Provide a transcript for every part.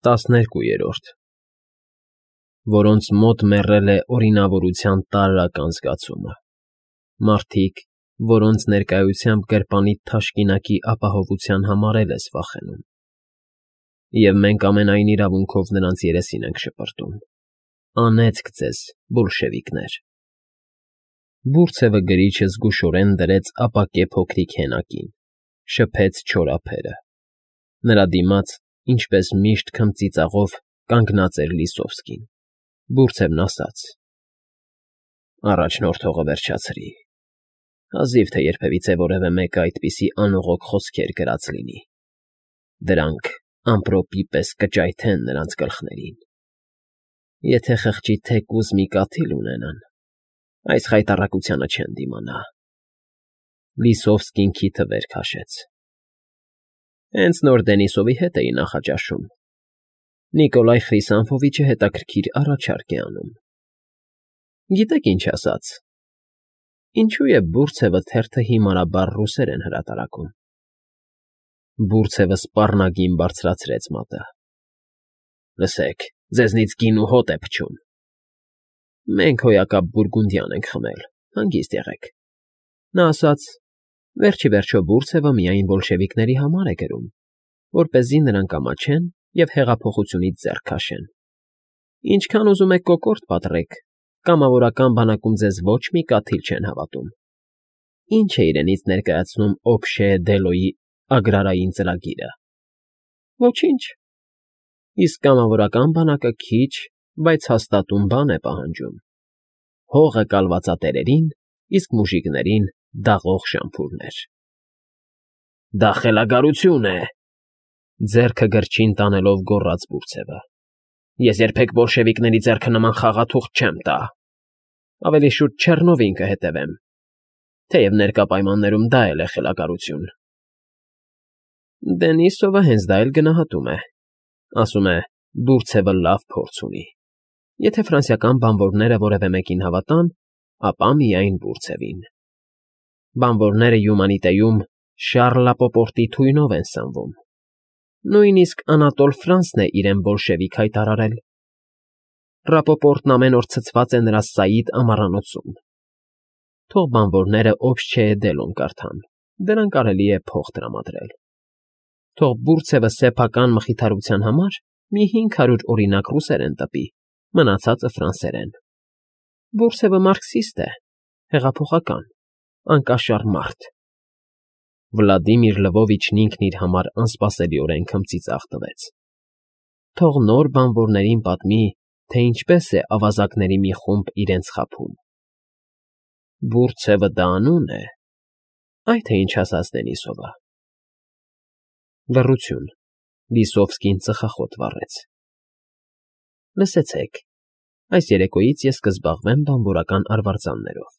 12-րդ Որոնց մոտ մեռել է օրինավորության տարրական զգացումը, մարդիկ, որոնց ներկայությամբ գրպանիդ թաշկինակի ապահովության համար ես վախենում, և մենք ամենայն իրավունքով նրանց երեսին ենք շպրտում. անեծք ձեզ, բոլշևիկներ։ Բուրծևը գրիչը զգուշորեն դրեց ապակե փոքրիկ հենակին, շփեց չոր ափերը, նրա դիմաց, ինչպես միշտ քմծիծաղով, կանգնած էր Լիսովսկին, բուրծևն ասաց. Առաջնորդողը վերջացրի, հազիվ թե երբևիցե որևէ մեկը այդպիսի անողոք խոսքեր գրած լինի, դրանք ամպրոպի պես կճայթեն նրանց գլխներին, եթե խղճի թեկուզ մի կաթիլ ունենան, այս խայտառակությանը չեն դիմանա։ Լիսովսկին քիթը վեր քաշեց. Հենց նոր Դենիսովի հետ էի նախաճաշում, Նիկոլայ Խրիսանֆովիչը հետաքրքիր առաջարկ է անում։ Գիտեք ինչ ասաց, ինչու է Բուրծևը թերթը հիմարաբար ռուսերեն հրատարակում։ Բուրծևը սպառնագին բարձրացրեց մատը. Լսեք, ձեզնից գին ու հոտ է փչում։ Մենք հոյակապ բուրգունդյան ենք խմել, հանգիստ եղեք։ Նա ասաց, վերջի վերջո Բուրծևը միայն բոլշևիկների համար է գրում, որպեսզի նրանք ամաչեն և հեղափոխությունից ձեռք քաշեն։ Ինչքան ուզում եք կոկորդ պատռեք, կամավորական բանակում ձեզ ոչ մի կաթիլ չեն հավատում։ Ինչ է իրենից ներկայացնում Օբշե Դելոյի ագրարային ծրագիրը։ Ոչինչ։ Իսկ կամավորական բանակը քիչ, բայց հաստատուն բան է պահանջում։ Հողը կալվածատերերին, իսկ մուժիկներին դաղող շամփուրներ։ Դա խելագարություն է, ձեռքը գրչին տանելով գոռաց Բուրծևը։ Ես երբեք բոլշևիկների ձեռքը նման խաղաթուղթ չեմ տա։ Ավելի շուտ Չեռնովին կհետևեմ, թեև ներկա պայմաններում դա էլ է խելագարություն։ Դենիսովը հենց դա էլ գնահատում է, ասում է, Բուրծևը լավ փորձ ունի։ Եթե ֆրանսիական բանվորները որևէ մեկին հավատան, ապա միայն Բուրծևին։ Բանվորները Յումանիտեում Շառլ Լապոպորտի թույնով են սնվում։ Նույնիսկ Անատոլ Ֆրանսն է իրեն բոլշևիկ հայտարարել։ Ռապոպորտն ամեն օր ցցված է նրա Սաիդ ամառանոցում։ Թող բանվորները Օբշե Դելոն կարդան, դրան կարելի է փող տրամադրել։ Թող Բուրծևը սեփական մխիթարության համար մի 500 օրինակ ռուսերեն տպի, մնացածը ֆրանսերեն։ Բուրծևը մարքսիստ է, հեղափոխական, անկաշառ մարդ։ Վլադիմիր Լվովիչն ինքն իր համար անսպասելիորեն քմծիծաղ տվեց։ Թող նոր բանվորներին պատմի, թե ինչպես է ավազակների մի խումբ իրենց խաբում։ Բուրծևը դա անուն է, այ թե ինչ ասաց Դենիսովը։ Լռություն։ Լիսովսկին ծխախոտ վառեց։ Լսեցեք, այս երեկոյից ես կզբաղվեմ բանվորական արվարձաններով։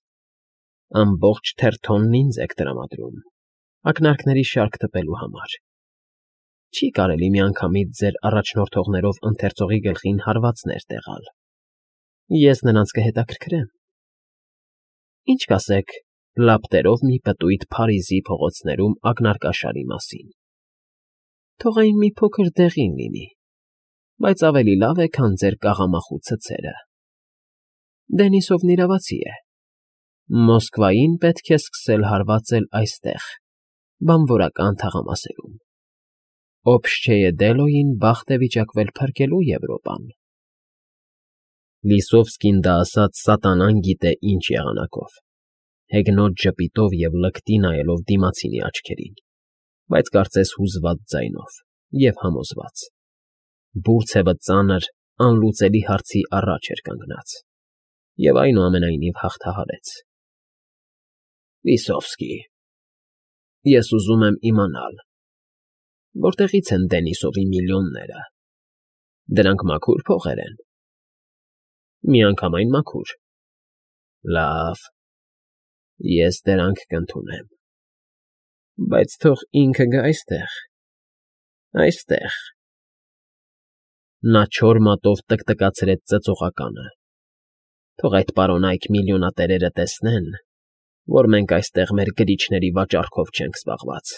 Ամբողջ թերթոնն ինձ եք տրամադրում, ակնարկների շարք տպելու համար։ Չի կարելի միանգամից ձեր առաջնորդողներով ընթերցողի գլխին հարվածներ տեղալ։ Ես նրանց կհետաքրքրեմ։ Ինչ կասեք լապտերով մի պտույտ Փարիզի փողոցներում ակնարկաշարի մասին։ Թող այն մի փոքր դեղին լինի, բայց ավելի լավ է, քան ձեր կաղամախու ցցերը։ Դենիսովն իրավացի է։ Մոսկվային պետք է սկսել հարվածել այստեղ, բանվորական թաղամասերում։ Օբշե Դելոյին բախտ է վիճակվել փրկելու Եվրոպան։ Լիսովսկին դա ասաց սատանան գիտե ինչ եղանակով, հեգնոտ ժպիտով և լկտի նայելով դիմացինի աչքերին, բայց կարծես հուզված ձայնով և համոզված։ Բուրծևը ծանր, անլուծելի հարցի առաջ էր կանգնած և այնուամենայնիվ հաղթահարեց։ Լիսովսկի, ես ուզում եմ իմանալ, որտեղից են Դենիսովի միլիոնները։ Դրանք մաքուր փողեր են։ Միանգամայն մաքուր։ Լավ, ես դրանք կընդունեմ։ Բայց թող ինքը գա այստեղ, այստեղ։ Նա չոր մատով տկտկացրեց ծծողականը։ Թող այդ պարոնայք միլիոնատերերը տեսնեն, որ մենք այստեղ մեր գրիչների վաճառքով չենք զբաղված։